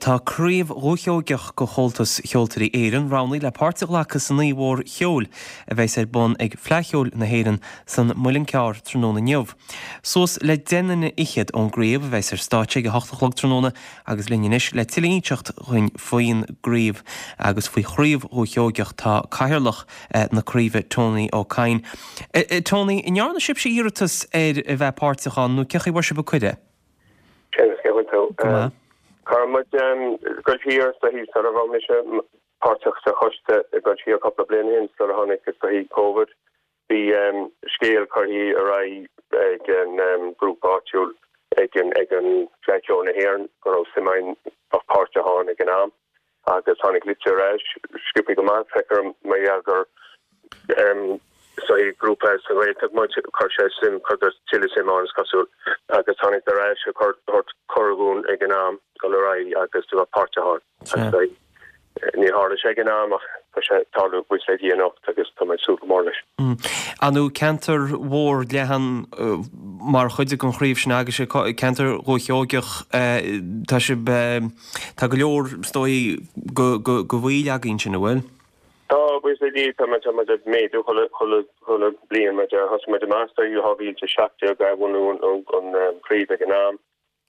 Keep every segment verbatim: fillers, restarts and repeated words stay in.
Tá Craobh Dhúiche Sheoigeach de Chomhaltas Cheoltóirí Éireann roghnaithe le páirt a ghlacadh san Oíche Mhór Cheoil a bheas ar bun ag Fleadh Cheoil na hÉireann san Muileann Cearr tráthnóna inniu. Suas le deich nduine fhichead ón gcraobh a bheas ar stáitse ag a hocht a chlog tráthnóna agus linn anois le tuilleadh a inseacht dhúinn faoin gcraobh agus faoi Chraobh Dhúiche Sheoigeach tá cathaoirleach na craoibhe Tony Ó Cadhain. Tony, an ndearna sibhse iarratas ar a bheith páirteach ann nó cén chaoi a bhfuair sibh an cuireadh? Go Chuir muid go siar sa hí sar a bh mise páirteach sa choiste go siar cúpla bliain ó shin sar a tháinig is dóichí Covid. Bhí scéal curtha ar aghaidh ag an grúpa áitiúil ag an ag an Fleadh Cheoil na hÉireann go raibh suim againn bheith páirteach ann ag an am agus tháinig litir ar ais sciobtha go maith feictear mar gheall gur so grúpa sa Ghaeltacht muid chuir sé suim chuir tuilleadh suim ann is cosúil agus tháinig ar ais a chur cuireadh dhúinn ag an am dul ar aghaidh agus do bheith páirteach ann. Ní tharla sé ag an am ach tá sé tarlú buíochas le Dia anocht agus tá mé ag súil go mór leis. Ar ndóigh ceantar mhór leathan mar chuid den chraobh sin agus ceantar Dhúiche Sheoigeach tá sibh tá go leor is dóigh go go go bhfuil againn sin an bhfuil? Tá buíochas le Dia tá muid tá muid ag méadú chuile chuile chuile bliain muid thosaigh muid amach sa dhá mhíle a seacht déag a bhunú an an chraobh ag an am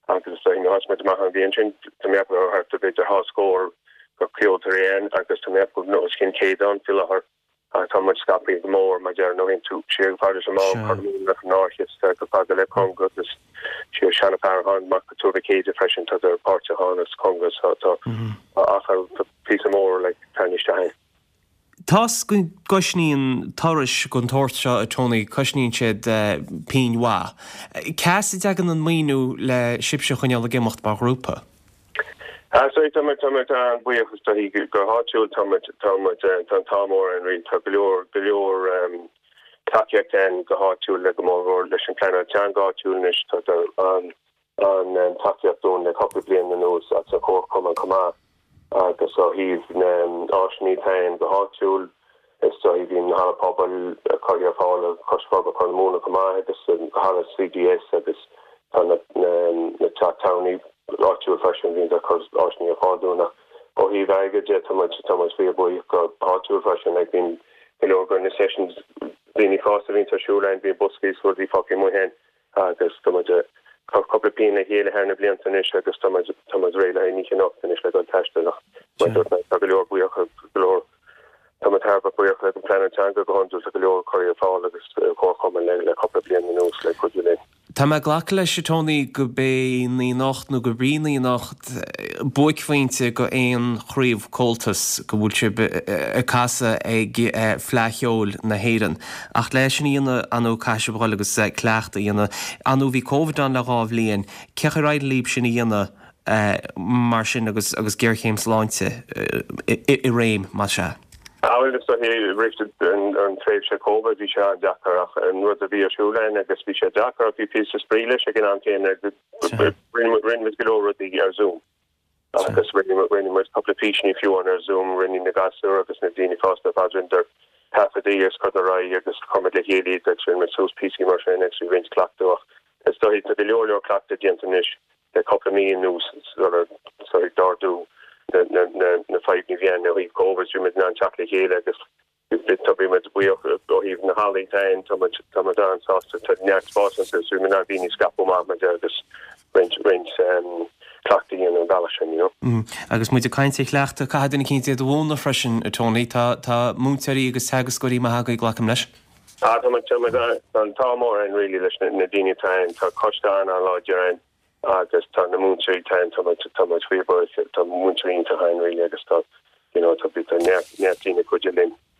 agus thosaigh muid amach an bhliain sin tá mé ag thart ar b'fhéidir dhá scór go ceoltóirí ann agus tá mé ag ceapadh os cionn céad ann faoi láthair ach tá muid scaipthe go mór mar deir nó tú siar go fada amach Chorr go fada le Conga agus siar Seanadh Feartháin amach go Tuar Mhic Éadaigh freisin tá páirteach ann as Conga so tá achar píosa mór le tarraingt isteach. Tá's go gcosnaíonn turais den tsórt seo a Tony, cosnaíonn siad pingin mhaith. Cá as a dtagann an maoiniú le sibhse a choinneáil ag imeacht mar ghrúpa? Ah so tá muid tá muid an-bhuíoch is dóichí go háitiúil tá muid tá muid tá an t-ádh mór orainn really tá go leor go leor tacaíocht ann go háitiúil le go mór mhór leis an pleanáil teanga áitiúil anois tá an an tacaíocht dúinn le cúpla bliain anuas as an chomharchumann chomh maith agus ó thaobh na áiseanna atá ann go háitiúil is dóichí bhí an halla pobail curtha ar fáil ag Coiste Forbartha Chorr na Móna chomh maith agus an halla CDS agus tá na na teach tábhairne áitiúil freisin bhíonn ag cur áiseanna ar fáil dúinn ach ó thaobh airgid de tá muid tá muid fíorbhuíoch go háitiúil freisin like bíonn go leor de na sessions daoine fásta a bhíonn ar siúl ann bíonn boscaí is rudaí fágtha amuigh ann agus tá muid ag cur cúpla pingin le chéile thar na blianta anois agus tá muid tá muid réidh le haghaidh an oíche anocht anois le dul taisteal ach mar a dúirt mé tá go leor buíoch go leor tá muid thar a bheith buíoch leis an pleanáil teanga go hiondúil tá go leor curtha ar fáil agus comharchumann le le cúpla bliain anuas le cuidiú linn. Tá mé ag glacadh leis, a Tony, go bé an oíche anocht nó gurb í an oíche anocht buaicphointe go aon chraobh Comhaltas go bhfuil sibh ag casadh ag Fleadh Cheoil na hÉireann. Ach le sin a dhéanamh, ar ndóigh, caithfidh sibh a dhul agus cleachtadh a dhéanamh. Ar ndóigh, bhí Covid ann le dhá bhliain. Cén chaoi ar éirigh libh sin a dhéanamh mar sin agus agus géarchéim sláinte i réim, más ea? Bhuel, is dóichí roimh an tréimhse Covid bhí sé an-deacair ach an rud a bhí ar siúl againn agus bhí sé deacair ach bhí píosa spraoi leis ag an am céanna rinne muid go leor rudaí ar Zoom agus rinne rinne muid cúpla físeanna fiú ar Zoom rinne na gasúir agus na daoine fásta ar fad rinneadar taifeadtaí agus cur ar aghaidh agus chuir muid le chéile iad agus rinne muid suas píosaí mar sin agus bhí roinnt cleachtadh ach is dóichí tá go leor leor cleachtadh déanta anois le cúpla mí anuas sular sular d'ardú na na na na fadhbanna a bhí ann ó thaobh Covid bhí muid in ann teacht le chéile agus tá bhí muid buíoch ó thaobh na hallaí féin tá muid tá muid an-sásta tá neart spáis iontu so bhí muid in ann daoine a scaipeadh amach muid agus roinnt roinnt cleachtaí a dhéanamh an bealach sin you know. Agus muid ag caint ar chleachtadh, caithfidh duine eicínt iad a mhúineadh freisin, a Tony. Tá tá múinteoirí agus teagascóirí maithe agaibh, glacaim leis. Ah tá muid tá muid tá an t-ádh mór orainn really leis na na daoine atá ann tá coiste an-an-láidir ann agus tá na múinteoirí atá ann tá muid tá muid